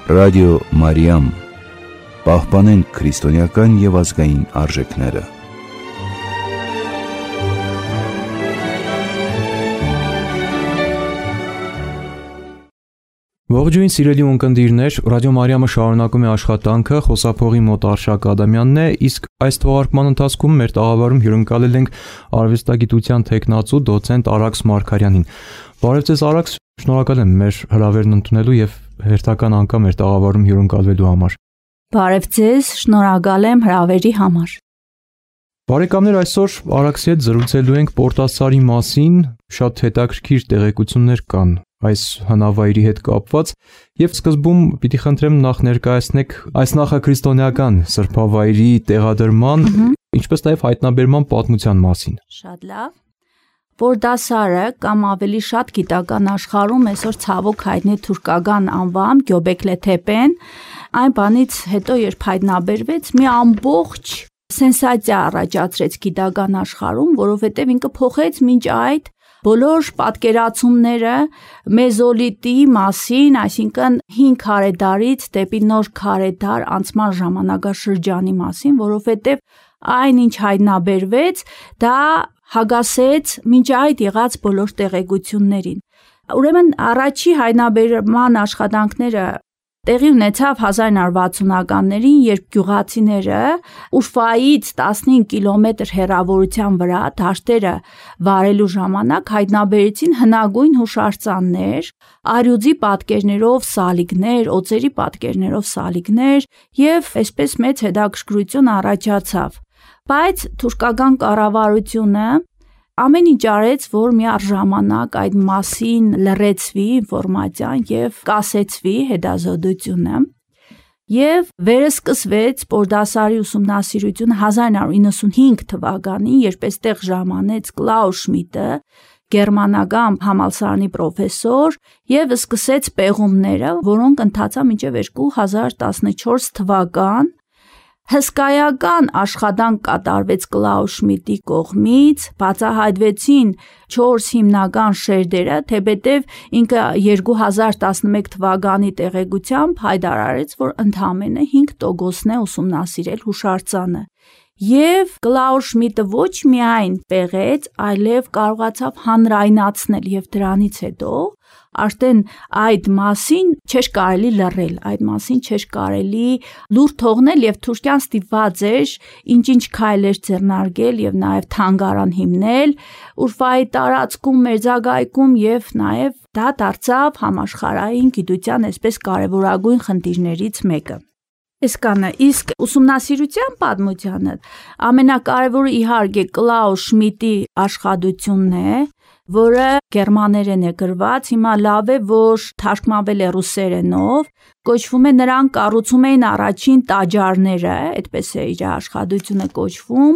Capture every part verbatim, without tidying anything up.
Ռադիո Մարիամ, պահպանենք քրիստոնեական և ազգային արժեքները։ Ողջույն սիրելի ունկնդիրներ, Ռադիո Մարիամը շարունակում է աշխատանքը, խոսափողի մոտ Արշակ Ադամյանն է, իսկ այս թողարկման ընթացքում մեր տաղավարում հյուրընկալել ենք արվեստագիտության թեկնածու դոցենտ Արաքս Մարգարյանին։ Բարև ձեզ Արաքս, շնորհակալ եմ մեր հրավերն ընդունելու և հերթական անգամ մեր տաղավարում հյուրընկալվելու համար։ Բարև ձեզ, շնորհակալ եմ հրավերի համար։ Բարեկամներ, այսօր Արաքսի հետ զրուցելու ենք Պորտասարի մասին, շատ հետաքրքիր տեղեկություններ կան այս հնավայրի հետ կապված, եւ սկզբում պիտի խնդրեմ նախ ներկայացնեք այս նախաքրիստոնեական սրբավայրի տեղադրման, ինչպես նաեւ հայտնաբերման պատմության մասին։ Շատ լավ։ Պորտասարը կամ ավելի շատ գիտական աշխարհում այսօր ցավոք հայտնի թուրքական անվամ Göbekli Tepe-ն, այն բանից հետո երբ հայտնաբերվեց, մի ամբողջ սենսացիա առաջացրեց գիտական աշխարհում, որովհետեւ ինքը փոխեց մինչ այդ բոլոր պատկերացումները մեզոլիտի մասին, այսինքն հինգ քարեդարից դեպի նոր քարեդար անցման ժամանակաշրջանի մասին, որովհետև այն ինչ հայտնաբերվեց, դա հագասեց մինչ այդ եղած բոլոր տեղեկություններին։ Ուրեմն առաջի հայտնաբերման աշխատանքները տեղի ունեցավ հազար նոր վաթսունականներին, երբ գյուղացիները Ուրֆայից տասնհինգ կիլոմետր հեռավորության վրա դաշտերը վարելու ժամանակ հայտնաբերեցին հնագույն հուշարձաններ, առյուծի պատկերներով սալիկներ, օձերի պատկերներով սալիկներ եւ այսպես մեծ հետաքրքրություն առաջացավ։ Բայց թուրքական կառավարությունը ամեն ինչ արեց, որ միառժամանակ այդ մասին լրացվի ինֆորմացիան եւ կասեցվի հետազոտությունը։ Եվ վերսկսվեց Պորտասարի ուսումնասիրությունը հազար նոր իննսունհինգ թվականին, երբ այստեղ ժամանեց Կլաուս Շմիդտը, գերմանական համալսարանի պրոֆեսոր, եւ սկսեց պեղումները, որոնք ընթացան մինչեւ երկու հազար տասնչորս թվական։ Հսկայական աշխատանք կատարվեց Կլաուս Շմիդտի կողմից, բացահայտվեցին չորս հիմնական շերտերը, թեպետև ինքը երկու հազար տասնմեկ թվականի տեղեկությամբ հայտարարեց, որ ընդամենը հինգ տոկոսն է ուսումնասիրել հուշարձանը։ Եվ Կլաուս Շմիդտը ոչ միայն պեղեց, այլև կարողացավ հանրայնացնել եւ դրանից հետո արդեն այդ մասին չէր կարելի լռել, այդ մասին չէր կարելի լուր թողնել եւ Թուրքիան ստիպված էր ինչ-ինչ քայլեր ձեռնարկել եւ նաեւ թանգարան հիմնել Ուրֆայի տարածքում, Մերձագայքում եւ նաեւ դա դարձավ համաշխարհային գիտության այսպես կարեւորագույն խնդիրներից մեկը։ Իսկանը, իսկ ուսումնասիրության պատմությանը ամենակարևորը իհարկե Կլաուս Շմիդտի աշխատությունն է, որը գերմաներեն է գրված, հիմա լավ է, որ թարգմանվել է ռուսերենով, կոչվում է նրանք կառուցում էին առաջին տաճարները, այդպես է իր աշխատությունը կոչվում,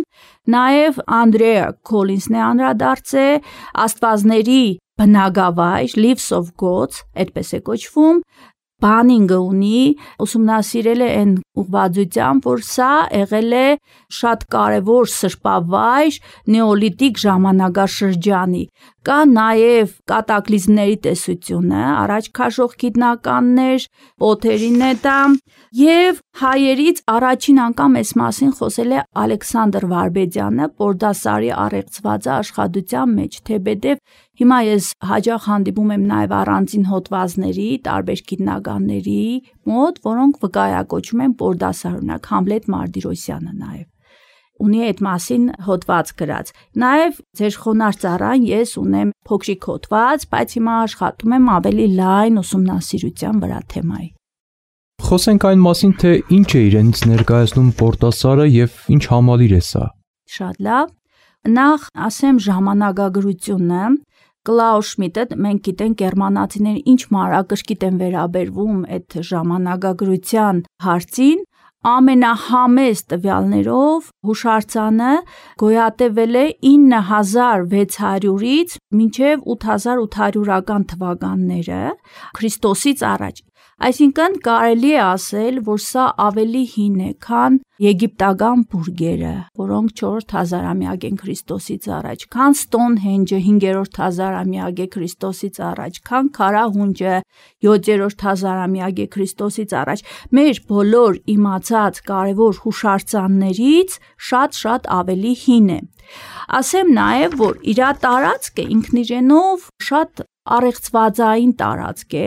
նաև Անդրեա Քոլինսն է անդրադարձել աստվածների բնակավայր, Lives of Gods, այդպես է կոչվում, Բանինգը ունի, ուսումնասիրել է այն ուղղվածությամբ, որ սա եղել է շատ կարևոր սրբավայր նեոլիթիկ ժամանակաշրջանի։ Կա նաև կատակլիզմների տեսությունը, առաջ քաշող գիտնականներ, Պոթերին է դա, եւ հայերից առաջին անգամ այս մասին խոսել է Ալեքսանդր Վարպետյանը Պորտասարի առեղծված աշխատության մեջ, թեպետև հիմա ես հաճախ հանդիպում եմ նաև առանձին հոդվածների, տարբեր գիտնականների մոտ, որոնք վկայակոչում են Պորտասար, օրինակ Համլետ Մարտիրոսյանը նաև ունի այդ մասին հոդված գրած։ Նաև ձեր խոնարհ ծառան ես ունեմ փոքրիկ հոդված, բայց հիմա աշխատում եմ ավելի լայն ուսումնասիրության վրա թեմայի։ Խոսենք այն մասին, թե ինչ է իրենից ներկայացնում Պորտասարը եւ ինչ համալիր է սա։ Շատ լավ։ Նախ ասեմ ժամանակագրությունը։ Կլաուս Շմիդտը մենք գիտենք գերմանացիները ինչ մանրակրկիտ են վերաբերվում այդ ժամանակագրության հարցին, ամենահամեստ տվյալներով հուշարձանը գոյատևել է ինը հազար վեց հարյուրից մինչև ութ հազար ութ հարյուրական թվականները Քրիստոսից առաջ։ Այսինքն կարելի է ասել, որ սա ավելի հին է, քան եգիպտական բուրգերը, որոնք չորրորդ հազարամյակ են Քրիստոսից առաջ, քան Սթոնհենջը հինգերորդ հազարամյակ է Քրիստոսից առաջ, քան Քարահունջը յոթերորդ հազարամյակ է Քրիստոսից առաջ, մեր բոլոր իմացած կարևոր հուշարձաններից շատ-շատ ավելի հին է։ Ասեմ նաև, որ իր տարածքը ինքն իրենով շատ առեղծվածային տարածք է,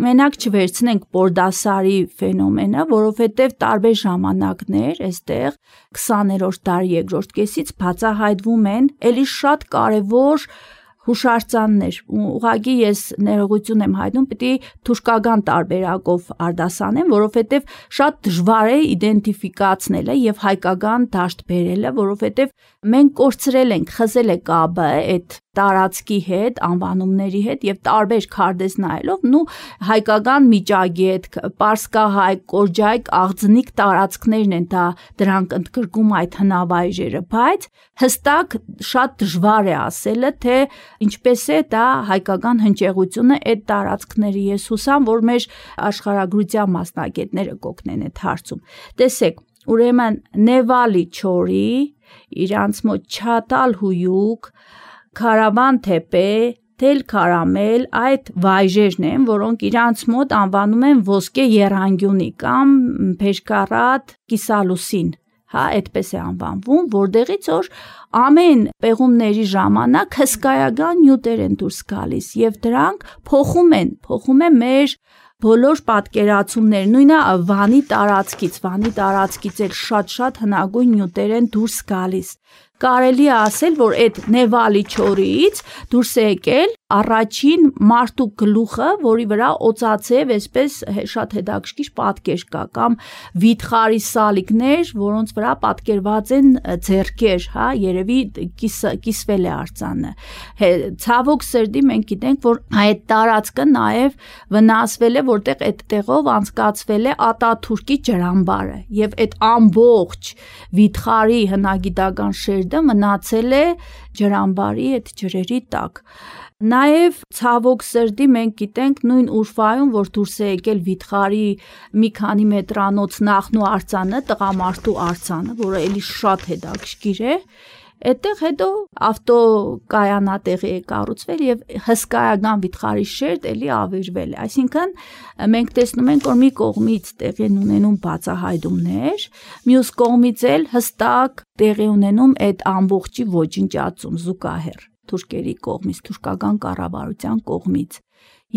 մենակ չվերցնենք Պորդասարի ֆենոմենը, որովհետև տարբեր ժամանակներ այստեղ քսաներորդ դարի երկրորդ կեսից բացահայտվում են էլի շատ կարևոր հուշարձաններ, ուղղակի ես ներողություն եմ հայտնում, պիտի թուրքական տարբերակով արտասանեմ, որովհետև շատ դժվար է իդենտիֆիկացնելը եւ հայկական դաշտ բերելը, որովհետև մենք կորցրել ենք, խզել է կապը այդ տարածքի հետ, անվանումների հետ եւ տարբեր քարտեզ նայելով, նու հայկական միջագետ, պարսկահայ, կորջայք, աղձնիկ տարածքներն են դա դրանք ընդգրկում այդ հնավայրերը, բայց հստակ շատ դժվար է ասելը, թե ինչպես է դա հայկական հնչեղությունը այդ տարածքների։ Ես հուսամ, որ մեր աշխարհագրության մասնագետները կօգնեն այդ հարցում։ Տեսեք, ուրեմն Նևալի չորի, իրանց մոտ Չատալ հույուկ, Քարավան թեպե, Թել քարամել, այդ վայրերն են, որոնք իրանց մոտ անվանում են ոսկե եռանկյունի կամ Փեշկարատ կիսալուսին, հա, այդպես է անվանվում, որտեղից որ ամեն պեղումների ժամանակ հսկայական նյութեր են դուրս գալիս եւ դրանք փոխում են, փոխում են մեր բոլոր պատկերացումներ, նույնը Վանի տարածքից, Վանի տարածքից էլ շատ-շատ հնագույն նյութեր են դուրս գալիս։ Կարելի է ասել, որ այդ Նևալի չորից դուրս է եկել առաջին մարդու գլուխը, որի վրա օծացև այսպես շատ հետաքրքիր պատկեր կա, կամ վիթխարի սալիկներ, որոնց վրա պատկերված են ձեռքեր, հա, երևի կիս, կիսվել է արձանը։ Ցավոք սրտի մենք գիտենք, որ այդ տարածքը նաև վնասվել է, որտեղ այդ տեղով անցկացվել է Ատաթուրքի ջրամբարը, եւ այդ ամբողջ վիթխարի հնագիտական շերտը մնացել է ջրամբարի այդ ջրերի տակ։ Նաև ցավոք սրտի մենք գիտենք նույն Ուրֆայում, որ դուրս է եկել վիթխարի մի քանի մետրանոց նախնու արձանը, տղամարդու արձանը, որը էլի շատ հետաքրքիր է, այդտեղ հետո ավտոկայանատեղի է կառուցվել եւ հսկայական վիթխարի շերտ էլի ավերվել է։ Այսինքն մենք տեսնում ենք, որ մի կողմից տեղի են ունենում բացահայտումներ, մյուս կողմից էլ հստակ տեղի ունենում այդ ամբողջի ոչնչացում զուգահեռ թուրքերի կողմից, թուրքական կառավարության կողմից։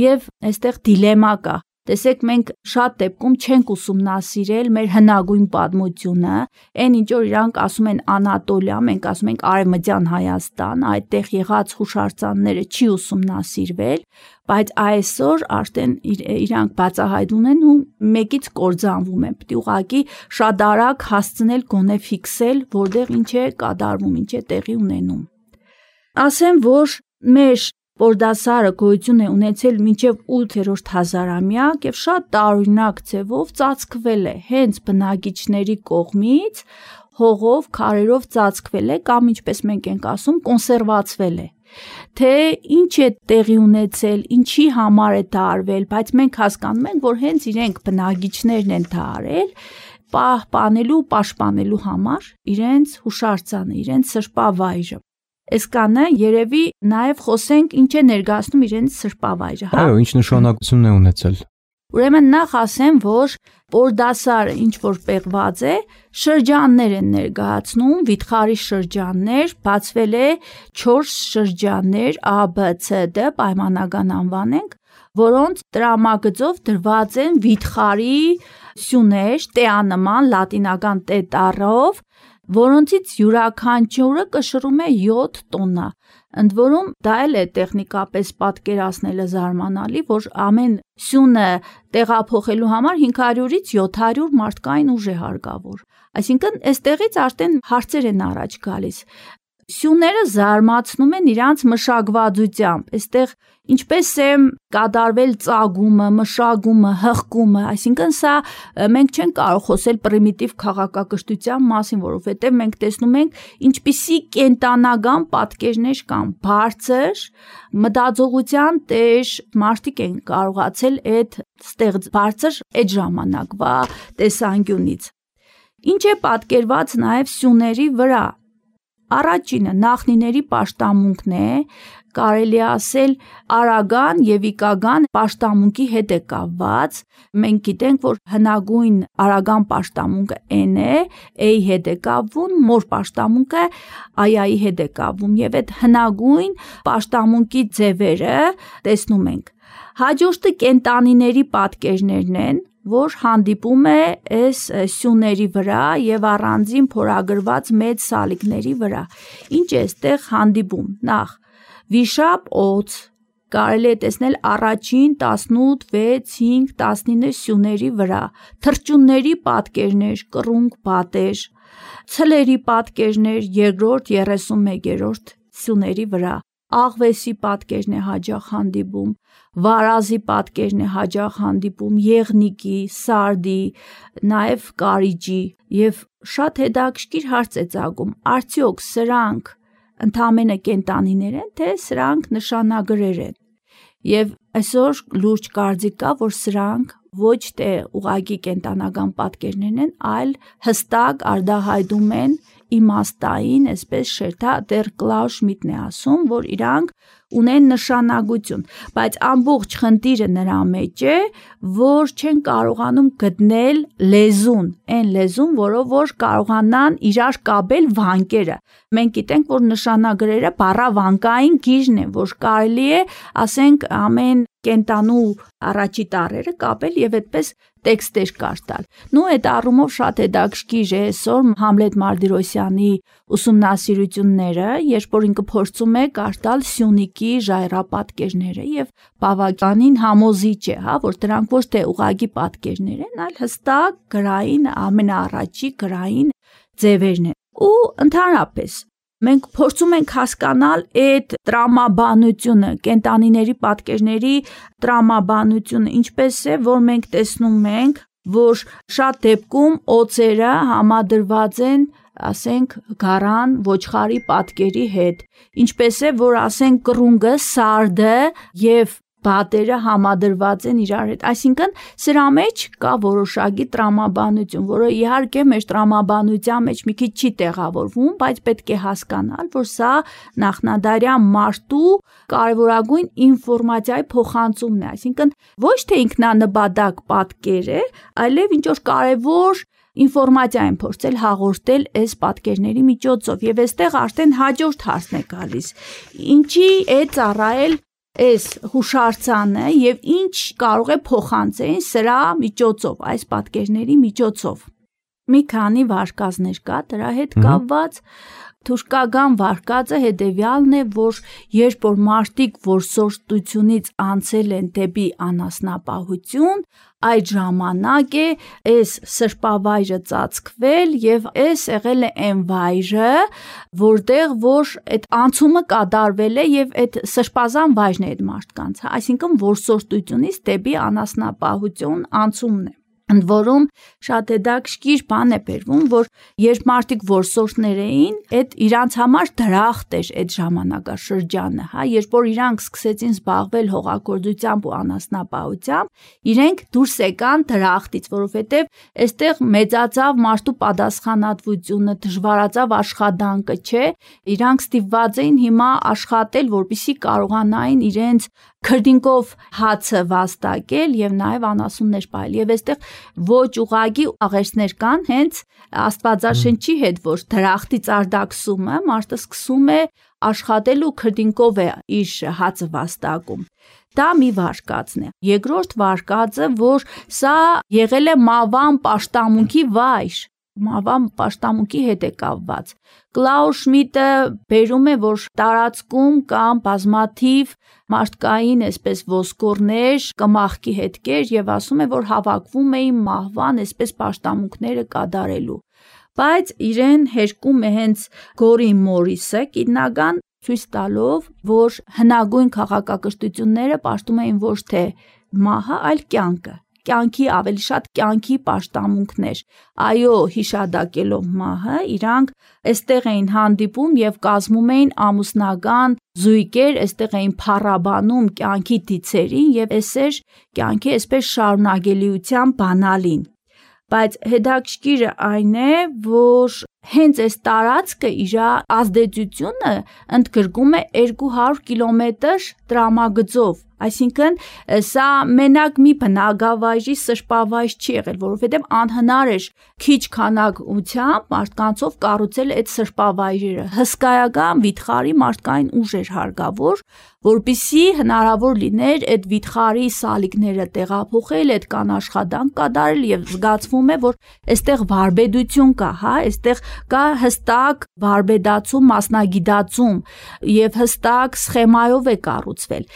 Եվ այստեղ դիլեմա կա։ Տեսեք, մենք շատ դեպքում չենք ուսումնասիրել մեր հնագույն պատմությունը, այն ինչ որ իրանք ասում են Անատոլիա, մենք ասում ենք Արևմտյան Հայաստան, այդտեղ եղած հուշարձանները չի ուսումնասիրվել, բայց այսօր արդեն իրանք բացահայտում են ու մեկից կործանվում են։ Պետք է ուղղակի շատ արագ հասցնել գոնե ֆիքսել, որտեղ ինչ է կատարվում, ինչ է տեղի ունենում։ Ասեմ, որ մեր Պորդասարը գոյություն է ունեցել մինչև ութերորդ հազարամյակ եւ շատ տարօրինակ ձևով ծածկվել է հենց բնակիչների կողմից, հողով, քարերով ծածկվել է կամ ինչպես մենք ենք ասում, կոնսերվացվել է։ Թե ինչ է տեղի ունեցել, ինչի համար է դա արվել, բայց մենք հասկանում ենք, որ հենց իրենք բնակիչներն են դա արել, պահպանելու, պաշտպանելու համար իրենց հուշարձանը, իրենց սրբավայրը։ Այսքանը երևի նաև խոսենք ինչ է ներկայացնում իրենց սրբավայրը, հա։ Այո, ինչ նշանակություն է ունեցել։ Ուրեմն նախ ասեմ, որ Պորդասարը ինչ որ պեղված է, շրջաններ են ներկայացնում, վիթխարի շրջաններ, բացվել է չորս շրջաններ A, B, C, D պայմանական անվանենք, որոնց տրամագծով դրված են վիթխարի սյուներ, տեանման, լատինական տե տառով, որոնցից յուրաքանչյուրը կշռում է յոթ տոննա։ Ընդ որում դա էլ է տեխնիկապես պատկերացնելը զարմանալի, որ ամեն սյունը տեղափոխելու համար հինգ հարյուրից յոթ հարյուր մարդկային ուժ է հարկավոր։ Այսինքն այստեղից արդեն հարցեր են առաջ գալիս։ Սյուները զարմացնում են իրանց մշակվածությամբ, այստեղ ինչպես է կատարվել ծագումը, մշակումը, հղկումը, այսինքն սա մենք չենք կարող խոսել պրիմիտիվ քաղաքակրթության մասին, որովհետև մենք տեսնում ենք ինչպիսի կենտանական պատկերներ կան, բարձր մտածողության տեր մարդիկ են կարողացել այդ ստեղծ բարձր այդ ժամանակվա տեսանկյունից։ Ինչ է պատկերված նաև սյուների վրա։ Առաջինը նախնիների պաշտամունքն է, կարելի է ասել արագան եւ իկական պաշտամունքի հետ է կապված։ Մենք գիտենք, որ հնագույն արագան պաշտամունքը N է, A-ի հետ է կապվում, մոր պաշտամունքը I-ի հետ է կապվում եւ այդ հնագույն պաշտամունքի ձևերը տեսնում ենք։ Հաջորդը կենտանիների պատկերներն են, որ հանդիպում է այս սյուների վրա եւ առանձին փորագրված մեծ սալիկների վրա։ Ինչ է այստեղ հանդիպում։ Նախ վիշապ օձ կարելի է տեսնել առաջին տասնութ, վեց, հինգ, տասնինը սյուների վրա, թռչունների պատկերներ, կռունկ, պատեր, ցլերի պատկերներ երկրորդ երեսունմեկերորդ սյուների վրա, աղվեսի պատկերն է հաճախ հանդիպում, վարազի պատկերն է հաճախ հանդիպում, եղնիկի, սարդի, նաև կարիճի եւ շատ հետաքրքիր հարց է ծագում, արդյոք սրանք ընդամենը կենտանիներ են, թե սրանք նշանագրեր են։ Եվ այսօր լուրջ կարծիք կա, որ սրանք ոչ թե ուղղակի կենտանական պատկերներ են, այլ հստակ արտահայտում են իմաստային, այսպես Շերտադեր Կլաուս Շմիդտն է ասում, որ իրանք ունեն նշանակություն, բայց ամբողջ խնդիրը նրա մեջ է, որ չեն կարողանում գտնել լեզուն, այն լեզուն, որով որ կարողանան իրար կապել վանկերը։ Մենք գիտենք, որ նշանագրերը բառավանկային գիժն է, որ կարելի է, ասենք, ամեն կենտանու առաջի տառերը կապել եւ այդպես տեքստեր կարդալ։ Նու այդ առումով շատ հետաքրքիր է այսօր Համլետ Մարտիրոսյանի ուսումնասիրությունները, երբ որ ինքը փորձում է կարդալ Սյունիքի ժայռապատկերները եւ բավականին համոզիչ է, հա, որ դրանք ոչ թե ուղղակի պատկերներ են, այլ հստակ գրային ամենաառաջի գրային ձևերն են։ Ու ընդհանրապես մենք փորձում ենք հասկանալ այդ տրամաբանությունը, կենտանիների պատկերների տրամաբանությունը, ինչպես է, որ մենք տեսնում ենք, որ շատ դեպքում օծերը համադրված են, ասենք, գարան ոչխարի պատկերի հետ, ինչպես է, որ ասենք կռունգը, սարդը եւ բատերը համադրված են իրար հետ, այսինքն սրա մեջ կա որոշակի տրամաբանություն, որը իհարկե մեր տրամաբանության մեջ մի քիչ չի տեղավորվում, բայց պետք է հասկանալ, որ սա նախնադարյան մարդու կարևորագույն ինֆորմացիայի փոխանցումն է, այսինքն ոչ թե ինքնանպատակ պատկեր է, այլև ինչ որ կարևոր ինֆորմացիա են փորձել հաղորդել այս պատկերների միջոցով եւ այստեղ արդեն հաջորդ հարցն է գալիս, ինչի է ծառայել այս հուշարձանը եւ ինչ կարող է փոխանցել սրա միջոցով, այս պատկերների միջոցով։ Մի քանի վարկածներ կա դրա հետ կապված, թուրքական վարկածը հետևյալն է, որ երբ որ մարդիկ որսորդությունից անցել են դեպի անասնապահություն, այդ ժամանակ է այս սրբավայրը ծածկվել եւ այս եղել է այն վայրը, որտեղ որ այդ անցումը կատարվել է եւ այդ սրբազան վայրն է այդ մարդկանց, այսինքն որսորդությունից դեպի անասնապահություն անցումն է։ Ընդ որում շատ հետաքրքիր բան է բերվում, որ երբ մարդիկ որսորդներ էին, այդ իրանց համար դրախտ էր այդ ժամանակաշրջանը, հա, երբ որ իրանք սկսեցին զբաղվել հողագործությամբ ու անասնապահությամբ, իրենք դուրս եկան դրախտից, որովհետև այստեղ մեծացավ մարդու պատասխանատվությունը, դժվարացավ աշխատանքը, չէ, իրանք ստիպված էին հիմա աշխատել, որպեսզի կարողանային իրենց քրդինկով հացը վաստակել եւ նաեւ անասուններ պահել եւ այստեղ ոչ ուղագի աղերսներ կան հենց Աստվածաշնչի հետ, որ դրախտից արտաքսումը մարդը սկսում է աշխատել ու քրդինկով է իր հացը վաստակում։ Դա մի վարկածն է։ Երկրորդ վարկածը, որ սա եղել է մավան պաշտամունքի վայր, մավան պաշտամունքի հետ է կապված։ Կլաուս Շմիդտը բերում է, որ տարածքում կան բազմաթիվ մարդկային այսպես ոսկորներ, կմախքի հետքեր եւ ասում է, որ հավաքվում էին մահվան այսպես պաշտամունքները կատարելու։ Բայց իրեն հերկում է հենց Գորի Մորիսը, գիտնական, ցույց տալով, որ հնագույն քաղաքակրթությունները պաշտում էին ոչ թե մահը, այլ կյանքը։ Կյանքի ավելի շատ կյանքի պաշտամունքներ, այո, հիշադակելով մահը, իրանք այստեղ էին հանդիպում եւ կազմում էին ամուսնական զույգեր, այստեղ էին փառաբանում կյանքի դիցերին եւ այսեր կյանքի այսպես շարունակելիության բանալին։ բայց հետաքրքիրը այն է, որ հենց այս տարածքը իր ազդեցությունը ընդգրկում է երկու հարյուր կիլոմետր տրամագծով, այսինքն սա մենակ մի բնակավայրի սրբավայր չի եղել, որովհետև անհնար էր քիչ քանակությամբ մարդկանցով կառուցել այդ սրբավայրերը, հսկայական վիթխարի մարդկային ուժ էր հարկավոր, որպեսզի հնարավոր լիներ այդ վիթխարի սալիկները տեղափոխել, այդ կան աշխատանք կատարել եւ զգացվում է, որ այստեղ վարպետություն կա, հա, այստեղ կա հստակ վարպետացում, մասնագիտացում եւ հստակ սխեմայով է կառուցվել։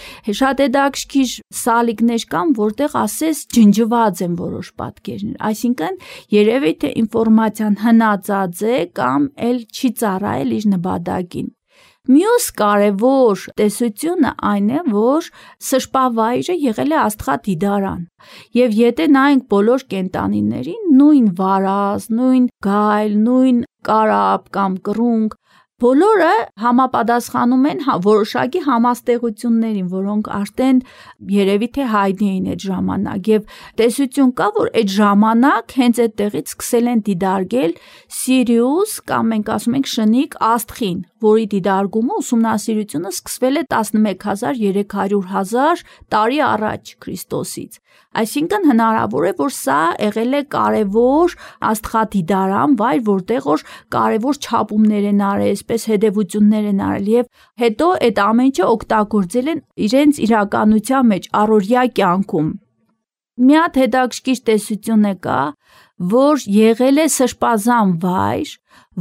Շատ հետաքրքիր սալիկներ կան, որտեղ ասես ջնջված են որոշ պատկերներ, այսինքն երևի թե ինֆորմացիան հնացած է կամ էլ չի ծառայել իր նպատակին։ Մյուս կարևոր տեսությունը այն է, որ սրբավայրը եղել է աստղադիդարան, եւ եթե նայենք բոլոր կենդանիներին, նույն վարազ, նույն գայլ, նույն կարապ կամ կռունկ, բոլորը համապատասխանում են որոշակի համաստեղություններին, որոնք արդեն երևի թե հայտնի էին այդ ժամանակ եւ տեսություն կա, որ այդ ժամանակ հենց այդտեղից սկսել են դիդարգել Սիրիուս կամ մենք ասում ենք շնիկ աստղին, որի դիդարգումը ուսումնասիրությունը սկսվել է տասնմեկ հազար երեք հարյուր տարի առաջ Քրիստոսից։ Այսինքն հնարավոր է, որ սա եղել է կարևոր աստղադիդարան վայր, որտեղ որ կարևոր չափումներ են արել, այսպես հետևություններ են արել եւ հետո այդ ամեն ինչը օգտագործել են իրենց իրականության մեջ, առօրյա կյանքում։ Մի հատ հետաքրքիր տեսություն է կա, որ եղել է սրբազան վայր,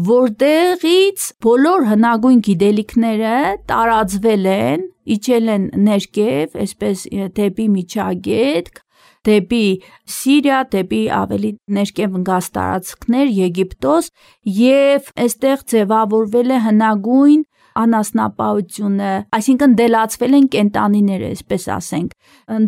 որտեղից բոլոր հնագույն գիտելիքները տարածվել են, իջել են ներքև, այսպես դեպի Միջագետք, դեպի Սիրիա, դեպի ավելի ներքև ընկած տարածքներ, Եգիպտոս, եւ այստեղ ձևավորվել է հնագույն անասնապահությունը, այսինքն դելացվել են կենդանիները, այսպես ասենք,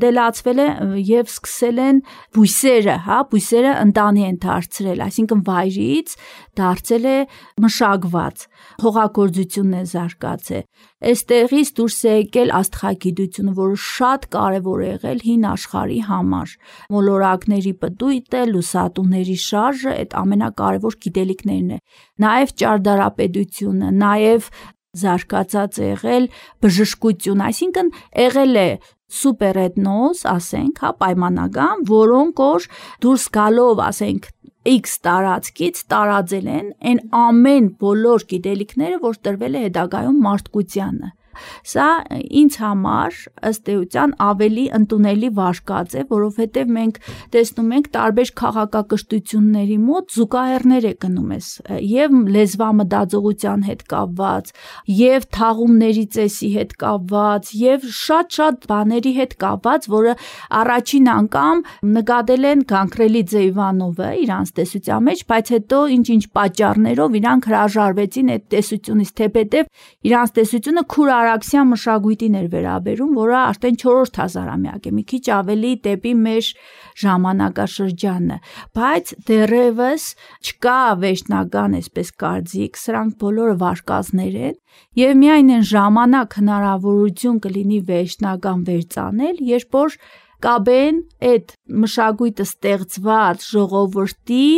դելացվել է եւ սկսել են բույսերը, հա, բույսերը ընտանի են դարձրել, այսինքն վայրից դարձել է մշակված, հողագործությունն է զարգացել։ Այստեղից դուրս է եկել աստղագիտությունը, որը շատ կարևոր է եղել հին աշխարհի համար։ Մոլորակների պտույտը, լուսատուների շարժը, այդ ամենակարևոր գիտելիքներն է։ Նաեւ ճարտարապետությունը, նաեւ զարգացած է եղել բժշկություն, այսինքն եղել է սուպերեթնոս, ասենք, հա, պայմանական, որոնք որ դուրս գալով, ասենք, X տարածքից տարածել են այն ամեն բոլոր գիտելիքները, որ տրվել է հետագայում մարդկությանը։ Սա ինձ համար ըստ էության ավելի ընդունելի վարկած է, որովհետև մենք տեսնում ենք տարբեր քաղաքակրթությունների մոտ զուգահեռներ է գնում ես եւ լեզվամտածողության հետ կապված, եւ թաղումների ծեսի հետ կապված, եւ շատ-շատ բաների հետ կապված, որը առաջին անգամ նկատել են Գանքրելիձե Իվանովը իրանց տեսության մեջ, բայց հետո ինչ-ինչ պատճառներով իրանք հրաժարվեցին այդ տեսությունից, թեպետև իրանց տեսությունը քուր արաքսյան մշակույթին էր վերաբերում, որը արդեն չորրորդ հազարամյակ է, մի քիչ ավելի դեպի մեր ժամանակաշրջանը, բայց դեռևս չկա վերջնական այսպես կարծիք, սրանք բոլորը վարկածներ են եւ միայն այն ժամանակ հնարավորություն կլինի վերջնական վերծանել, երբ որ կաբեն այդ մշակույթը ստեղծված ժողովրդի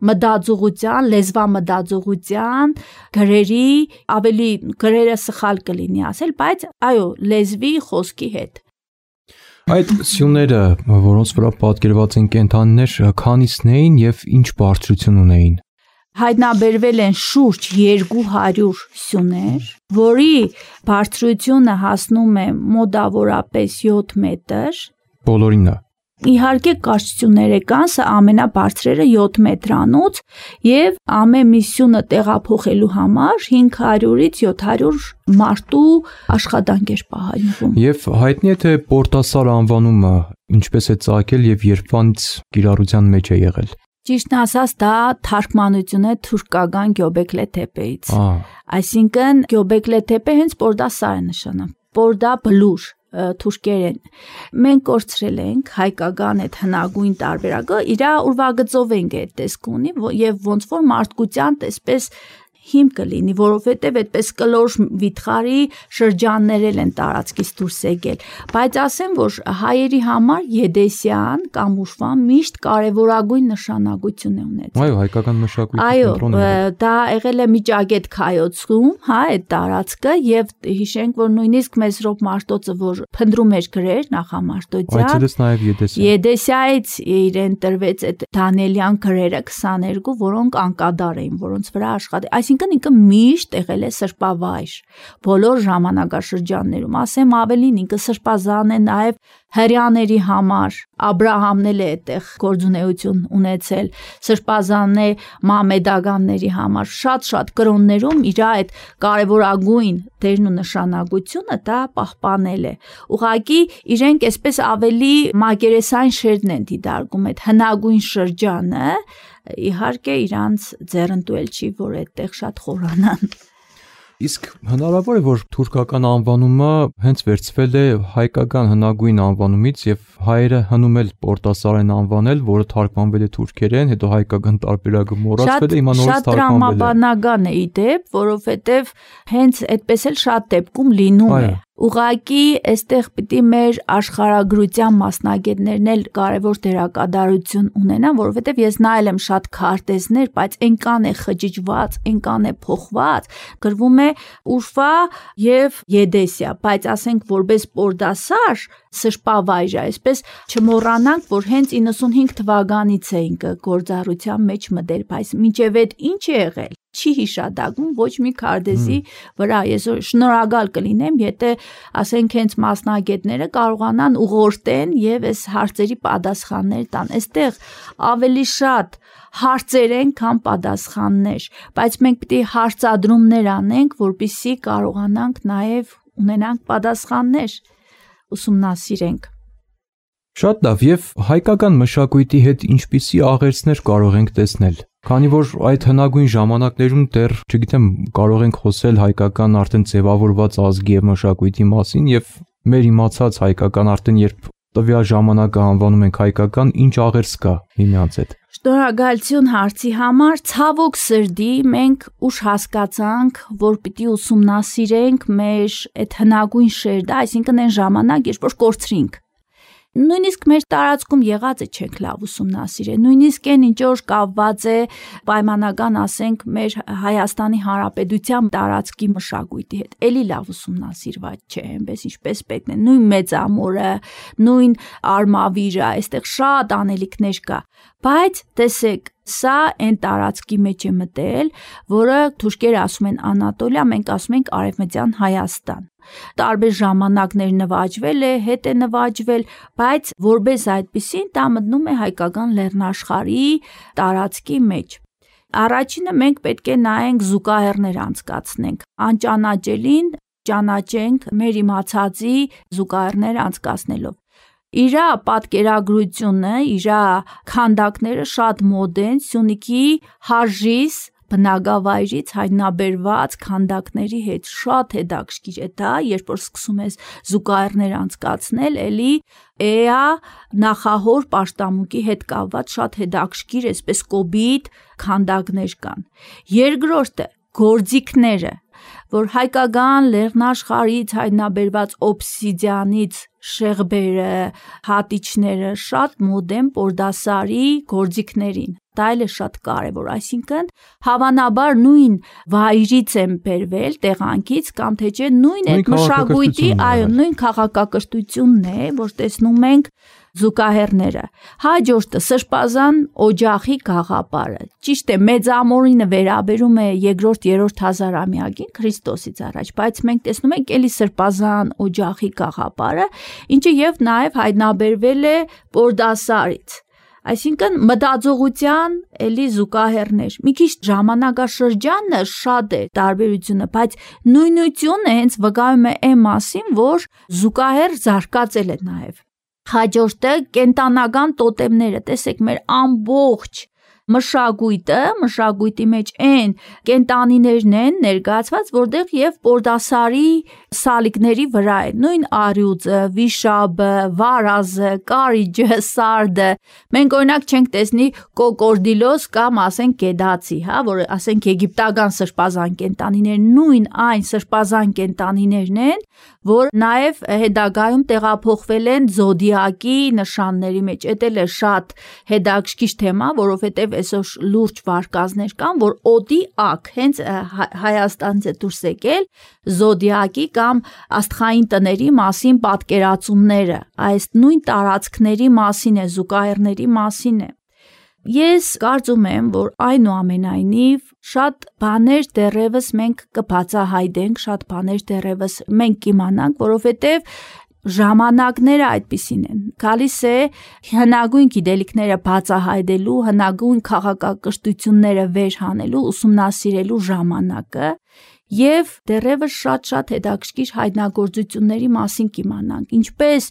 մտածողության, լեզվամտածողության, գրերի, ավելի գրերը սխալ կլինի ասել, բայց այո, լեզվի խոսքի հետ։ Այդ սյուները, որոնց վրա պատկերված են կենդանիներ, քանիսն էին եւ ինչ բարձրություն ունեին։ Հայտնաբերվել են շուրջ երկու հարյուր սյուներ, որի բարձրությունը հասնում է մոտավորապես յոթ մետր։ Բոլորինը։ Իհարկե կարճությունները կան, սա ամենաբարձրերը յոթ մետրանոց եւ ամեն մի սյունը տեղափոխելու համար հինգ հարյուրից յոթ հարյուր մարդու աշխատանք էր պահանջվում։ Եվ հայտնի է թե Պորտասար անվանումը ինչպես է ծագել եւ երբանից կիրառության մեջ է եղել։ Ճիշտն ասած, դա թարգմանություն է թուրքական Գյոբեկլե Թեպեից։ Այսինքն Գյոբեկլե Թեպը հենց Պորտասար է նշանը։ Պորդա բլուր թուրքերեն։ Մենք կորցրել ենք հայկական այդ հնագույն տարբերակը, իր ուրվագծով ենք այդ տեսք ունի եւ ոնց որ մարդկության տեսպես հիմք կլինի, որովհետև այդպես կլոր վիթխարի շրջաններ են տարածքից դուրս եկել, բայց ասեմ, որ հայերի համար Եդեսյան կամ Ուշվան միշտ կարևորագույն նշանակություն է ունեցել։ Այո, հայկական մշակույթի կենտրոնն է։ Այո, դա եղել է Միջագետ Քայոցում, հա, այդ տարածքը եւ հիշենք, որ նույնիսկ Մեսրոպ Մաշտոցը, որ փնտրում էր գրեր Նախամաշտոցյան, այցելեց նաեւ Եդեսիա։ Եդեսիայից իրեն տրվեց այդ Դանիելյան գրերը քսաներկու, որոնք անկադար էին, որոնց վրա աշխատի, այսինքն ինքը միշտ եղել է սրբավայր բոլոր ժամանակաշրջաններում, ասեմ ավելին, ինքը սրբազան է նաեւ հрьяաների համար, Աբրահամն էլ է այդտեղ գործունեություն ունեցել, սրբազան է մամեդականների համար, շատ-շատ կրոններում իր այդ կարևորագույն դերն ու նշանակությունը դա պահպանել է։ Ուղղակի իրենք այսպես ավելի մակերեսային շերտն են դիտարկում այդ հնագույն շրջանը, իհարկե իրանց ձեռնտուել չի, որ այդտեղ շատ խորանան։ Իսկ հնարավոր է, որ թուրքական անվանումը հենց վերցվել է հայկական հնագույն անվանումից եւ հայերը հնում էլ Պորտասարեն անվանել, որը թարգմանվել է թուրքերեն, հետո հայկական տարբերակը մոռացվել է, հիմա նորից թարգմանվել է։ Շատ տրամաբանական է ի դեպ, որովհետեւ հենց այդպես էլ շատ դեպքում լինում է։ Ուղղակի այստեղ պիտի մեր աշխարհագրության մասնագետներն էլ կարևոր դերակատարություն ունենան, որովհետև ես նայել եմ շատ քարտեզներ, բայց այնքան է խճճված, այնքան է փոխված, գրվում է Ուշվա եւ Եդեսիա, բայց ասենք որպես Պորդասար սրբավայր է, այսպես չմոռանանք, որ հենց իննսունհինգ թվականից է ինքը գործառության մեջ մտել, բայց մինչև այդ ինչ է եղել չի հիշադակում ոչ մի քարտեզի վրա։ Ես շնորհակալ կլինեմ, եթե ասենք հենց մասնագետները կարողանան ուղղորդեն եւ այս հարցերի պատասխաններ տան։ Այստեղ ավելի շատ հարցեր են, քան պատասխաններ, բայց մենք պիտի հարցադրումներ անենք, որպեսզի կարողանանք նաեւ ունենանք պատասխաններ, ուսումնասիրենք։ Շատ լավ, եւ հայկական մշակույթի հետ ինչպիսի աղերսներ կարող ենք տեսնել։ Քանի որ այդ հնագույն ժամանակներում դեռ, չգիտեմ, կարող ենք խոսել հայկական արդեն ձևավորված ազգի եւ մշակույթի մասին եւ մեր իմացած հայկական արդեն երբ տվյալ ժամանակը անվանում ենք հայկական, ինչ աղերս կա միմյանց հետ։ Շնորհակալություն հարցի համար, ցավոք սրտի մենք ուշ հասկացանք, որ պիտի ուսումնասիրենք մեր այդ հնագույն շերտը, այսինքն այն ժամանակ, երբ որ կորցրինք։ Նույնիսկ մեր տարածքում եղածը չենք լավ ուսումնասիրել, նույնիսկ այն ինչ որ կապված է պայմանական, ասենք, մեր Հայաստանի Հանրապետության տարածքի մշակույթի հետ, էլի լավ ուսումնասիրված չէ, այնպես ինչպես պետք է, նույն Մեծամորը, նույն Արմավիրը, այստեղ շատ անելիքներ կա, բայց տեսեք, սա այն տարածքի մեջ է մտել, որը թուրքերը ասում են Անատոլիա, մենք ասում ենք Արևմտյան Հայաստան։ Տարբեր ժամանակներ նվաճվել է, հետ է նվաճվել, բայց որպես այդպեսին դա մտնում է հայկական լեռնաշխարհի տարածքի մեջ։ Առաջինը մենք պետք է նայենք զուգահեռներ անցկացնենք, անճանաչելին ճանաչենք մեր իմացածի զուգահեռներ անցկացնելով։ Իրա պատկերագրությունը, իրա քանդակները շատ մոդերն, Սյունիքի Հարժիս բնակավայրից հայտնաբերված քանդակների հետ շատ հետաքրքիր է դա, երբ որ սկսում ես զուգահեռներ անցկացնել, էլի էա նախահոր պաշտամունքի հետ կապված շատ հետաքրքիր, այսպես կոբիտ քանդակներ կան։ Երկրորդը գործիքները, որ հայկական լեռնաշխարհից հայտնաբերված օբսիդիանից շեղբերը, հատիչները շատ մոդեն Պորդասարի գործիքներին։ Դա էլ է շատ կարևոր, այսինքն հավանաբար նույն վայրից են բերվել տեղանքից կամ թե չէ նույն այդ մշակույթի, այո, նույն քաղաքակրթությունն է, որ տեսնում ենք զուգահեռները։ Հաջորդը Սրբազան օջախի գաղափարը։ Ճիշտ է, Մեծամորինը վերաբերում է երկրորդ երրորդ հազարամյակին Քրիստոսից առաջ, բայց մենք տեսնում ենք էլի Սրբազան օջախի գաղափարը, ինչը եւ նաեւ հայտնաբերվել է Պորդասարից։ Այսինքն մտածողության էլի զուգահեռներ։ Մի քիչ ժամանակաշրջանը շատ է տարբերությունը, բայց նույնությունը հենց վկայում է այն մասին, որ զուգահեռ զարգացել է նաեւ։ Հաջորդը կենտանական տոտեմները, տեսեք, մեր ամբողջ մշակույթը, մշակույթի մեջ այն կենտանիներն են ներկայացված, որտեղ եւ Պորդասարի սալիկների վրա է, նույն արյուծը, վիշաբը, վարազը, կարիճը, սարդը, մենք օրինակ չենք տեսնի կոկորդիլոս կամ ասենք կեդացի, հա, որ ասենք եգիպտական սրբազան կենտանիներ, նույն այն սրբազան կենտանիներն են, որ նաև հետագայում տեղափոխվել են զոդիակի նշանների մեջ, էդ էլ է շատ հետաքրքիր թեմա, որովհետև այսօր լուրջ վարկածներ կան, որ օդի ակ, հենց Հայաստանից է դուրս եկել զոդիակի կամ աստղային տների մասին պատկերացումները, այս նույն տարածքների մասին է, զուգահեռների մասին է։ Ես կարծում եմ, որ այնուամենայնիվ շատ բաներ դեռևս մենք կբացահայտենք, շատ բաներ դեռևս մենք կիմանանք, որովհետև ժամանակները այդպիսին են։ Գալիս է հնագույն գիտելիքները բացահայտելու, հնագույն քաղաքակրթությունները վեր հանելու, ուսումնասիրելու ժամանակը եւ դեռևս շատ-շատ հետաքրքիր հայտնագործությունների մասին կիմանանք, ինչպես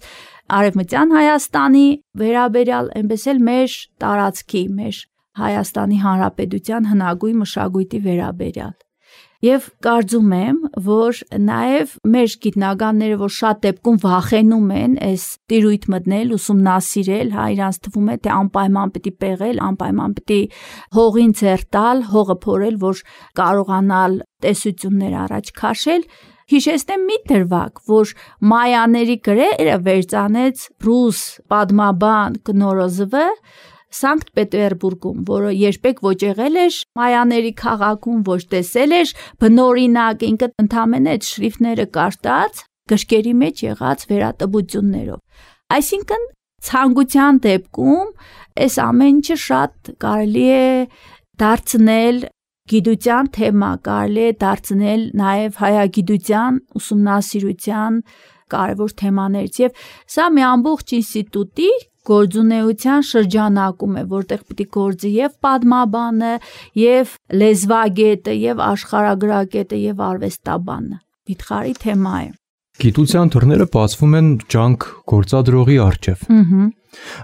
Արևմտյան Հայաստանի վերաբերյալ, այնպես էլ մեր տարածքի, մեր Հայաստանի Հանրապետության հնագույն մշակույթի վերաբերյալ։ Եվ կարծում եմ, որ նաև մեր գիտնականները, որ շատ դեպքում վախենում են այս տիրույթ մտնել, ուսումնասիրել, հա, իրանց թվում է, թե անպայման պիտի պեղել, անպայման պիտի հողին ձեռ տալ, հողը փորել, որ կարողանալ տեսություններ առաջ քաշել, հիշեցնեմ մի դրվագ, որ մայաների գրերը վերծանեց ռուս պատմաբան Կնորոզովը Սանկտ Պետերբուրգում, որը երբեք ոչ եղել էր մայաների քաղաքում, ոչ տեսել էր, բնօրինակ ինքը ընդամենը այդ շրիֆտները կարտած, գրքերի մեջ եղած վերատպություններով։ Այսինքն ցանկության դեպքում այս ամեն ինչը շատ կարելի է դարձնել գիտության թեմա, կարելի է դարձնել նաև հայագիտության ուսումնասիրության կարևոր թեմաներից եւ սա մի ամբողջ ինստիտուտի գործունեության շրջանակում է, որտեղ պիտի գործի եւ պատմաբանը, եւ լեզվագետը, եւ աշխարհագրագետը, եւ արվեստաբանը։ Վիթխարի թեմա է։ Գիտության դռները բացվում են ջանք գործադրողի առջև։ Ահա։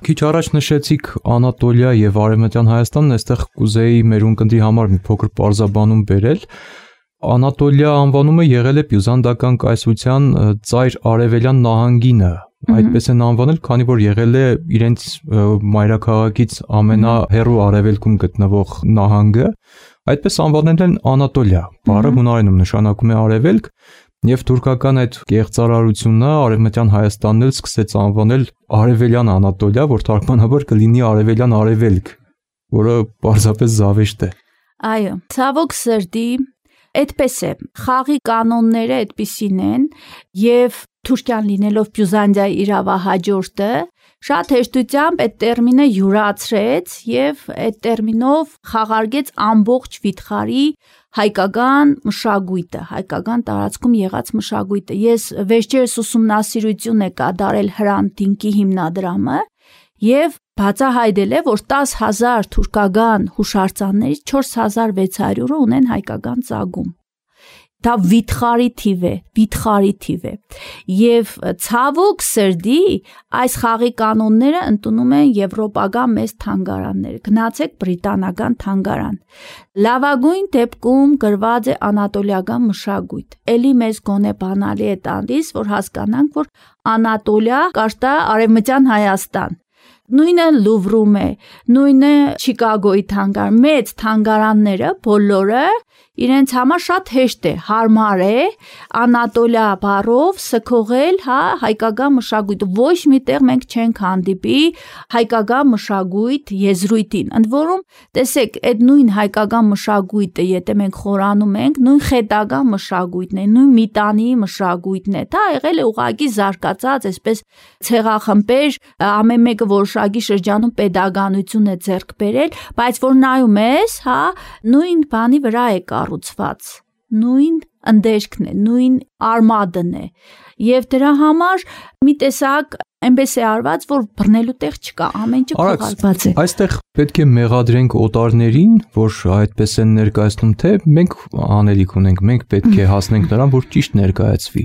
Քիչ առաջ նշեցիք Անատոլիա եւ Արևմտյան Հայաստանն, այստեղ կուզեի մեր ունկնդի համար մի փոքր պարզաբանում բերել։ Անատոլիա անվանումը եղել է բյուզանդական կայսրության ծայր արևելյան նահանգինը, այդպես են անվանել, քանի որ եղել է իրենց մայրաքաղաքից ամենահեռու արևելքում գտնվող նահանգը, այդպես անվանել են Անատոլիա, բառը հունարենում նշանակում է արևելք, եւ թուրքական այդ կեղծարարությունը Արևմտյան Հայաստանն էլ սկսեց անվանել Արևելյան Անատոլիա, որ թարգմանաբար կլինի Արևելյան Արևելք, որը պարզապես զավեշտ է։ Այո, ցավոք սրտի այդպես է, խաղի կանոնները այդպիսին են եւ Թուրքիան լինելով Բյուզանդիայի իրավահաջորդը շատ հեշտությամբ այդ տերմինը յուրացրեց եւ այդ տերմինով խաղարկեց ամբողջ վիթխարի հայկական մշակույթը, հայկական տարածքում եղած մշակույթը։ Ես վերջերս ուսումնասիրություն է կատարել Հրանտինկի հիմնադրամը եւ բացահայտել է, որ տասը հազար թուրքական հուշարձաններից չորս հազար վեց հարյուրը ունեն հայկական ծագում։ Դա վիթխարի թիվ է, վիթխարի թիվ է։ Եվ ցավոք սրտի այս խաղի կանոնները ընդունում են եվրոպական մեծ թանգարանները։ Գնացեք բրիտանական թանգարան։ Լավագույն դեպքում գրված է անատոլիական մշակույթ։ Էլի մեզ գոնե բանալի է տալիս, որ հասկանանք, որ Անատոլիա կարտա Արևմտյան Հայաստան։ Նույնը Լուվրում է, նույնը Չիկագոյի թանգարան, մեծ թանգարանները բոլորը իրենց համար շատ հեշտ է, հարմար է Անատոլիա բառով սքողել, հա, հայկական մշակույթը, ոչ միտեղ մենք չենք հանդիպի հայկական մշակույթ եզրույթին։ Ընդ որում, տեսեք, այդ նույն հայկական մշակույթը, եթե մենք խորանում ենք, նույն խետական մշակույթն է, նույն միտանի մշակույթն է։ Դա եղել է ուղղակի զարգացած, այսպես ցեղախմբեր, ամեն մեկը որոշակի շրջանում pedagoganություն է ձեռք բերել, բայց որ նայում ես, հա, նույն բանի վրա է կառուցված, նույն ընդերքն է, նույն արմադն է, եւ դրա համար մի տեսակ այնպես է արված, որ բռնելու տեղ չկա, ամեն ինչ փոխարինված է։ Այստեղ պետք է մեղադրենք օտարներին, որ այդպես են ներկայացնում, թե մենք անելիք ունենք, մենք պետք է հասնենք նրան, որ ճիշտ ներկայացվի։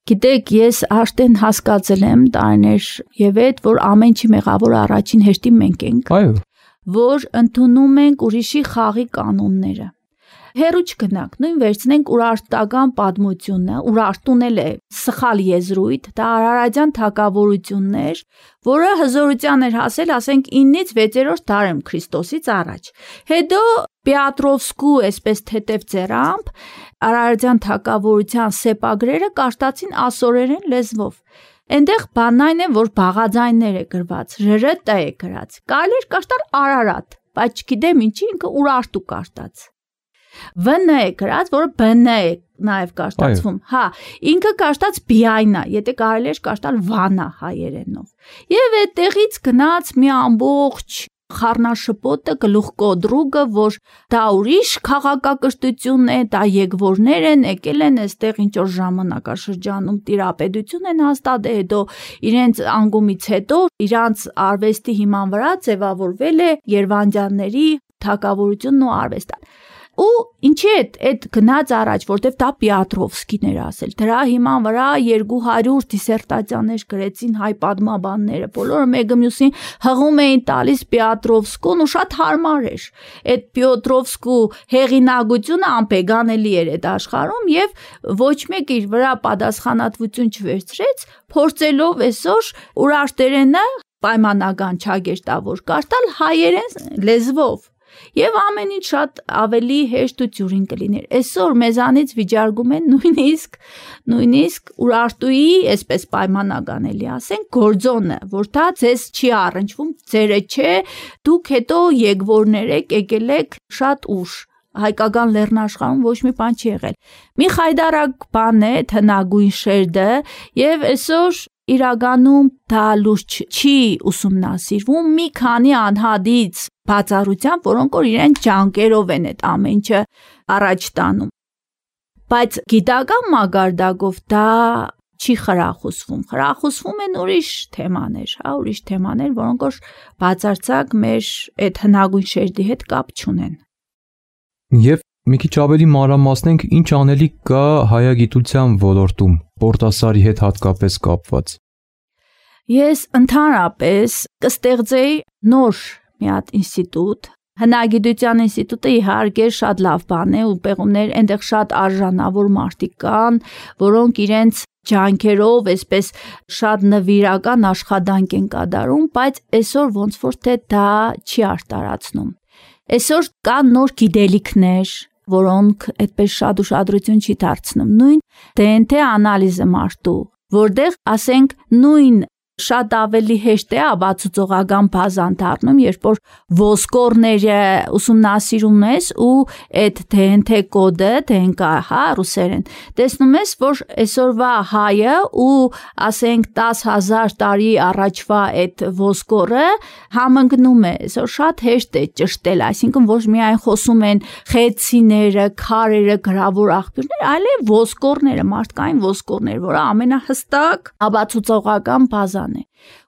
Գիտեք, ես արդեն հասկացել եմ տարիներ եւ այդ, որ ամեն ինչի մեղավոր առաջին հերթին մենք ենք։ Այո։ Որ ընդունում ենք ուրիշի խաղի կանոնները։ հերու չգնանք, նույն վերցնենք Ուրարտական պատմությունը, Ուրարտուն էլ է սխալ եզրույթ, դա արարատյան թագավորություններ, որը հզորության էր հասել, ասենք իննից վեցերորդ դարում Քրիստոսից առաջ։ Հետո Պետրովսկու այսպես թեթև ձեռամբ արարատյան թագավորության սեպագրերը կաշտացին ասորերեն լեզվով։ Այնտեղ բանն այն է, որ բաղաձայններ է գրված, ժ-տ է գրած։ Կարելի էր կաշտալ Արարատ, բայց չգիտեմ ինչի ինքը Ուրարտու կաշտած։ Վ-ն է գրած, որը Բ-ն է նաև կաշտացվում։ Հա, ինքը կաշտած Բիայնա, եթե կարելի էր կաշտալ Վանա հայերենով։ Եվ այդտեղից գնաց մի ամբողջ խառնաշփոթը, գլուխկոդրուգը, որ դա ուրիշ քաղաքակրթություն է, դա եկվորներ են, եկել են այստեղ ինչ որ ժամանակաշրջանում տիրապետություն են հաստատել, հետո իրենց անկումից հետո իրանց արվեստի հիման վրա ձևավորվել է Երևանյանների թագավորությունն ու արվեստը։ Ու ինչի է այդ գնաց առաջ, որտեվ դա Պետրովսկին էր ասել։ Դրա հիման վրա երկու հարյուր դիսերտացիաներ գրեցին հայ պատմաբանները, բոլորը մեկը մյուսին հղում էին տալիս Պետրովսկուն ու շատ հարմար էր։ Այդ Պետրովսկու հեղինակությունը անպեգանելի էր այդ աշխարհում եւ ոչ մեկ իր վրա պատասխանատվություն չվերցրեց, փորձելով այսօր ուրարտերենը պայմանական չագերտավոր կարտալ հայերեն լեզվով։ Եվ ամեն ինչ շատ ավելի հեշտ ու ծյուրին կլիներ։ Այսօր մեզանից վիճարկում են նույնիսկ նույնիսկ Ուրարտուի, այսպես պայմանական էլի ասենք, գործոնը, որ դա ձեզ չի առնչվում, ձերը չէ, դուք հետո եկվորներ եք, եկել եք շատ ուշ։ Հայկական լեռնաշխարհում ոչ մի բան չի եղել։ Մի խայդարակ բան է հնագույն շերդը, եւ այսօր իրականում դա լուրջ չի ուսումնասիրվում մի քանի անհատից բացառությամբ, որոնք որ իրեն ջանքերով են այդ ամեն ինչը առաջ տանում։ Բայց գիտական մակարդակով դա չի խրախուսվում։ Խրախուսվում են ուրիշ թեմաներ, հա, ուրիշ թեմաներ, որոնք որ բացարձակ մեր այդ հնագույն շերդի հետ կապ չունեն։ Եվ մի քիչ ավելի մանրամասնենք, ինչ անելիք կա հայագիտության ոլորտում, Պորտասարի հետ հատկապես կապված։ Ես ընդհանրապես կստեղծեի նոր մի հատ ինստիտուտ, հնագիտության ինստիտուտը իհարկե շատ լավ բան է ու պեղումներ, այնտեղ շատ արժանավոր մարդիկ կան, որոնք իրենց ջանքերով այսպես շատ նվիրական աշխատանք են կատարում, բայց այսօր ոնց որ թե դա չի արտարացնում։ Այսօր կան նոր գիտելիքներ, որոնք այդպես շատ ուշադրություն չի դարձնում, նույն դե են թե անալիզը մարդու, որտեղ ասենք նույն շատ ավելի հեշտ է ապացուցողական բազան դառնում, երբ որ ոսկորները ուսումնասիրում ես ու այդ դե են թե կոդը, դե են կա, հա, ռուսերեն, տեսնում ես, որ այսօրվա հայը ու ասենք տասը հազար տարի առաջվա այդ ոսկորը համընկնում է, այսօր շատ հեշտ է ճշտել, այսինքն ոչ միայն խոսում են խեցիները, քարերը, գրավոր աղբյուրներ, այլև ոսկորները, մարդկային ոսկորներ, որը ամենահստակ ապացուցողական բազան է։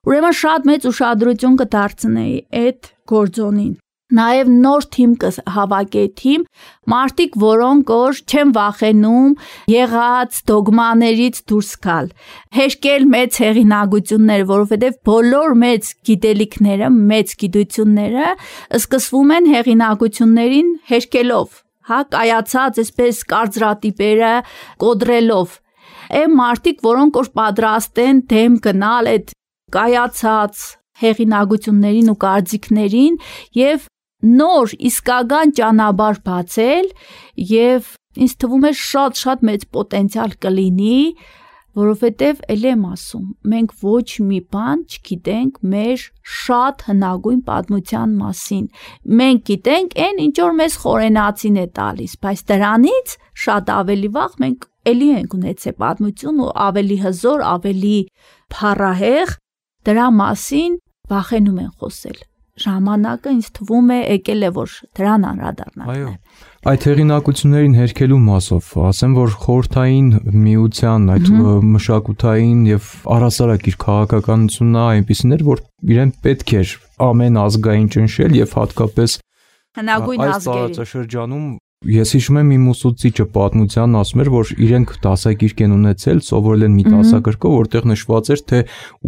Ուրեմն շատ մեծ ուշադրություն կդարձնեի այդ գործոնին։ Նաև նոր թիմ կհավաքեի թիմ, մարդիկ, որոնք որ չեն վախենում եղած դոգմաներից դուրս գալ, հեշկել մեծ հեղինակություններ, որովհետև բոլոր մեծ գիտելիքները, մեծ գիտությունները սկսվում են հեղինակություններին հեշկելով, հա, կայացած այսպես կարծրատիպերը կոդրելով։ Այն մարդիկ, որոնք որ պատրաստ են դեմ գնալ այդ կայացած հեղինակություններին ու կարծիքներին եւ նոր իսկական ճանապարհ բացել եւ ինձ թվում է շատ-շատ մեծ պոտենցիալ կլինի, որովհետեւ ել եմ ասում, մենք ոչ մի բան չգիտենք մեր շատ հնագույն պատմության մասին։ Մենք գիտենք այն, ինչ որ մեզ խորենացին է տալիս, բայց դրանից շատ ավելի վաղ մենք էլի ենք ունեցել պատմություն ու ավելի հզոր, ավելի փառահեղ, դրա մասին վախենում են խոսել։ Ժամանակը ինձ թվում է եկել է, որ դրան անդրադառնանք։ Այո, այդ հեղինակություններին հերքելու մասով, ասեմ, որ խորհրդային միության այդ մշակութային եւ առասարակ իր քաղաքականությունն այնպիսին էր, որ իրեն պետք էր ամեն ազգային ճնշել եւ հատկապես հնագույն ազգերին։ Այս տարածաշրջանում ես հիշում եմ իմ ուսուցիչը պատմության ասում էր, որ իրենք դասագիրք են ունեցել, սովորել են մի դասագրքով, որտեղ նշված էր, թե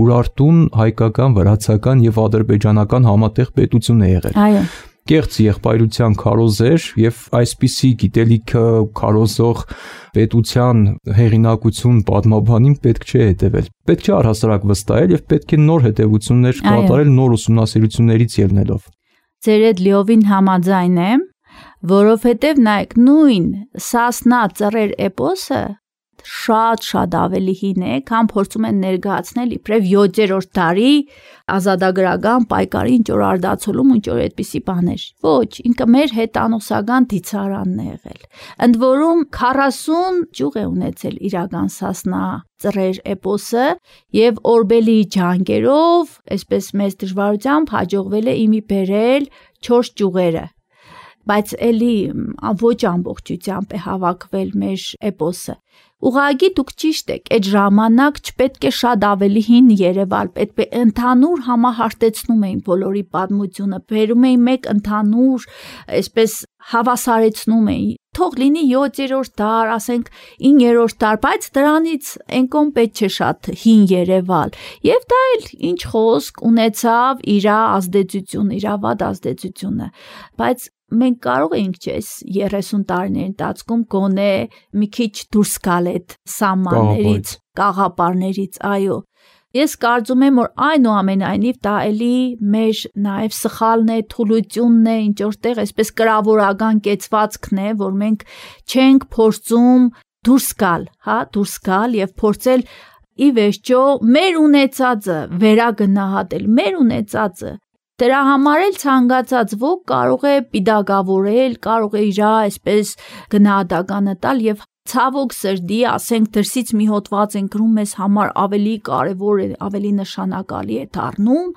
Ուրարտուն հայկական, վրացական եւ ադրբեջանական համատեղ պետություն է եղել։ Այո։ կեղծ եղբայրության քարոզեր եւ այսպիսի գիտելիքը քարոզող պետության հեղինակություն պատմաբանին պետք չէ հետևել։ Պետք չէ առհասարակ վստահել եւ պետք է նոր հետևություններ կատարել նոր ուսումնասիրություններից ելնելով։ Ձեր այդ լիովին համաձայն եմ, որովհետեւ նայեք նույն Սասնա ծռեր էպոսը շատ-շատ ավելի հին է, քան փորձում են ներկայացնել իբրև յոթերորդ դարի ազատագրական պայքարի ինչ որ արդացոլում ինչ որ այդպիսի բաներ։ Ոչ, ինքը մեր հետանոսական դիցարանն է եղել։ Ընդ որում քառասուն ճյուղ է ունեցել իրական Սասնա ծռեր էպոսը եւ Օրբելի ջանքերով, այսպես մեծ դժվարությամբ հաջողվել է իմի բերել չորս ճյուղերը։ Բայց էլի ոչ ամբողջությամբ է հավաքվել մեր էպոսը։ Ուղղակի դուք ճիշտ եք, այդ ժամանակ չպետք է շատ ավելի հին Երևալ, պետք է ընդհանուր համահարտեցնում էին բոլորի պատմությունը, բերում էին մեկ ընդհանուր, այսպես հավասարեցնում էին։ Թող լինի յոթերորդ դար, ասենք իններորդ դար, բայց դրանից այնքան պետք չէ շատ հին Երևալ։ Եվ դա էլ ինչ խոսք ունեցավ իր ազդեցություն, իր վատ ազդեցությունը։ Բայց մենք կարող ենք չես երեսուն տարիների ընթացքում գոնե մի քիչ դուրս գալ այդ սահմաններից, կաղապարներից, այո։ Ես կարծում եմ, որ այնուամենայնիվ դա էլի մեր նաև սխալն է, թուլությունն է, ինչ որտեղ այսպես կրավորական կեցվածքն է, որ մենք չենք փորձում դուրս գալ, հա, դուրս գալ եւ փորձել ի վերջո մեր ունեցածը վերագնահատել, մեր ունեցածը Դրա համար էլ ցանկացած ոք կարող է պիդագավորել, կարող է իր այսպես գնահատականը տալ եւ ցավոք սրտի, ասենք դրսից մի հոդված են գրում մեզ համար ավելի կարևոր է, ավելի նշանակալի է դառնում,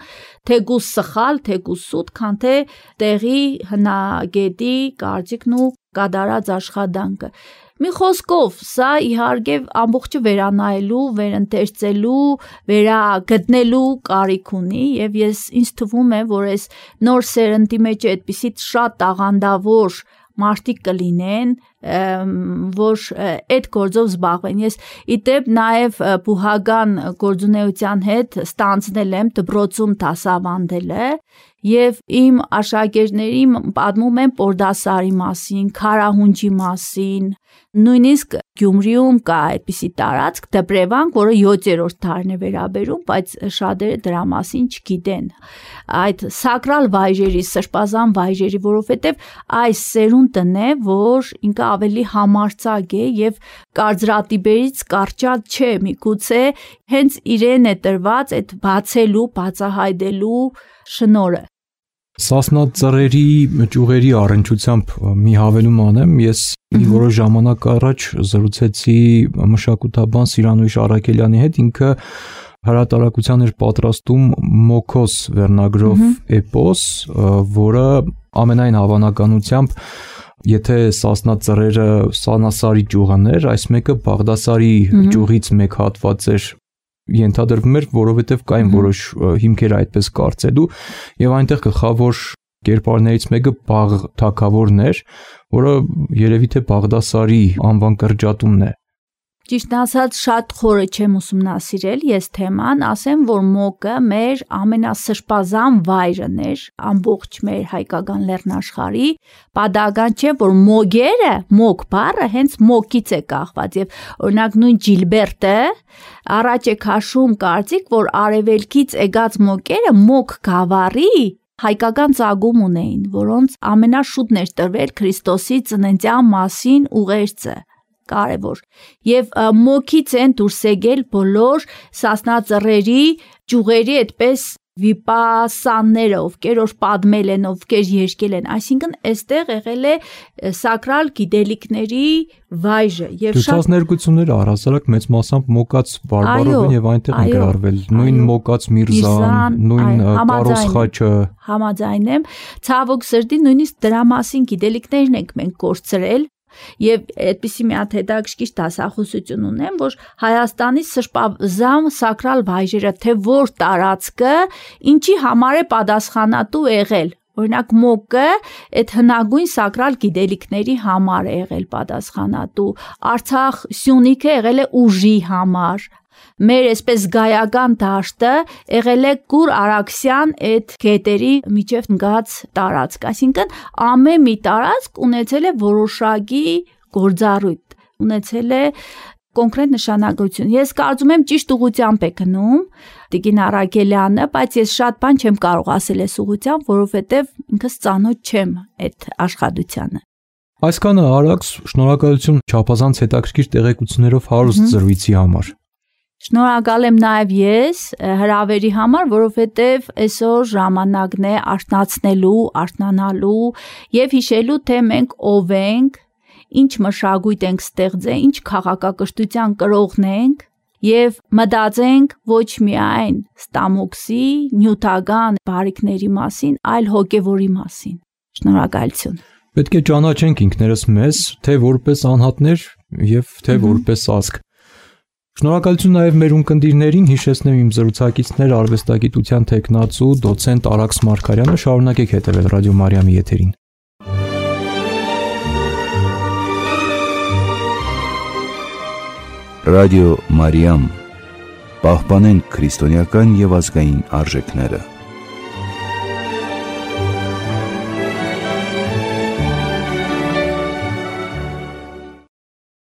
թեկուզ սխալ, թեկուզ սուտ, քան թե տեղի հնագետի կարծիքն ու կատարած աշխատանքը։ Մի խոսքով, սա իհարկե ամբողջը վերանայելու, վերընթերցելու, վերագտնելու կարիք ունի եւ ես ինձ թվում է, որ այս նոր սերնդի մեջ այդպիսի շատ տաղանդավոր մարդիկ կլինեն, որ այդ գործով զբաղվեն։ Ես իդեպ նաև բուհական գործունեության հետ ստանձնել եմ դպրոցում դասավանդելը եւ իմ աշակերտներին պատմում եմ Պորդասարի մասին, Քարահունջի մասին, նույնիսկ Գյումրիում կա այդպիսի տարածք Դպրևանք, որը յոթերորդ դարին է վերաբերում, բայց շատերը դրա մասին չգիտեն։ Այդ սակրալ վայրերի, սրբազան վայրերի, որովհետեւ այս սերունդն է, որ ինքը ավելի համարձակ է եւ կարծրատիպերից կարճած չէ, միգուցե հենց իրեն է տրված այդ բացելու, բացահայտելու շնորհը։ Սասնա ծռերի ճյուղերի առնչությամբ մի հավելում անեմ, ես մի որոշ ժամանակ առաջ զրուցեցի մշակութաբան Սիրանույշ Արաքելյանի հետ, ինքը հրատարակության էր պատրաստում Մոքոս վերնագրով էպոս, որը ամենայն հավանականությամբ եթե Սասնա ծռերը Սանասարի ճյուղն էր, այս մեկը Բաղդասարի ճյուղից մեկ հատված էր ենթադրվում էր, որովհետև կային որոշ հիմքեր այդպես կարծելու եւ այնտեղ գլխավոր կերպարներից մեկը Բաղ թագավորն էր, որը երևի թե Բաղդասարի անվան կրճատումն է։ Ճիշտ ասած, շատ խորը չեմ ուսումնասիրել ես թեման, ասեմ, որ Մոկը մեր ամենասրբազան վայրն էր, ամբողջ մեր հայկական լեռնաշխարհի, պատահական չէ, որ Մոգերը, Մոգ բառը հենց Մոկից է կախված եւ օրինակ նույն Ջիլբերտը առաջ է քաշում կարծիք, որ արևելքից եկած Մոկերը Մոգ գավառի հայկական ծագում ունեին, որոնց ամենաշուտն էր տրվել Քրիստոսի ծննդյան մասին ուղերձը։ Կարևոր եւ Մոքից են դուրս եկել բոլոր Սասնա ծռերի ճյուղերի այդպես վիպասանները, ովքեր որ պատմել են, ովքեր երգել են, այսինքն այստեղ եղել է սակրալ գիտելիքների վայրը եւ շատ ներկությունները առհասարակ մեծ մասամբ Մոկաց բարբարով են եւ այնտեղ են գրառվել, նույն Մոկաց Միրզան, նույն Կարոս խաչը։ Համաձայն եմ, ցավոք սրտի նույնիսկ դրա մասին գիտելիքներն ենք մենք կորցրել Եվ այդպիսի մի հատ հետաքրքիր դասախոսություն ունեմ, որ Հայաստանի սրբազան սակրալ վայրերը, թե որ տարածքը ինչի համար է պատասխանատու եղել։ Օրինակ Մոկը այդ հնագույն սակրալ գիտելիքների համար է եղել պատասխանատու, Արցախ Սյունիքը եղել է ուժի համար, մեր այսպես զգայական դաշտը եղել է Կուր Արաքսյան այդ գետերի միջև ընկած տարածք, այսինքն ամեն մի տարածք ունեցել է որոշակի գործառույթ, ունեցել է կոնկրետ նշանակություն։ Ես կարծում եմ ճիշտ ուղղությամբ է գնում Տիկին Արաքելյանը, բայց ես շատ բան չեմ կարող ասել այս ուղղությամբ, որովհետև ինքս ծանոթ չեմ այդ աշխատությանը։ Այսքանը Արաքս, շնորհակալություն չափազանց հետաքրքիր տեղեկություններով հարուստ զրույցի համար։ Շնորհակալ եմ նաև ես հրավերի համար, որովհետև այսօր ժամանակն է արթնացնելու, արթնանալու եւ հիշելու, թե մենք ով ենք, ինչ մշակույթ ենք ստեղծել, ինչ քաղաքակրթության կրողն ենք եւ մտածենք ոչ միայն ստամոքսի, նյութական բարիքների մասին, այլ հոգեվորի մասին։ Շնորհակալություն։ Պետք է ճանաչենք ինքներս մեզ, թե որպես անհատներ եւ թե որպես ազգ։ Շնորհակալություն նաև մեր ունկնդիրներին, հիշեցնեմ իմ զրուցակիցներ արվեստագիտության թեկնածու դոցենտ Արաքս Մարգարյանը, շարունակեք հետևել Ռադիո Մարիամի եթերին։ Ռադիո Մարիամ, պահպանենք քրիստոնեական եւ ազգային արժեքները։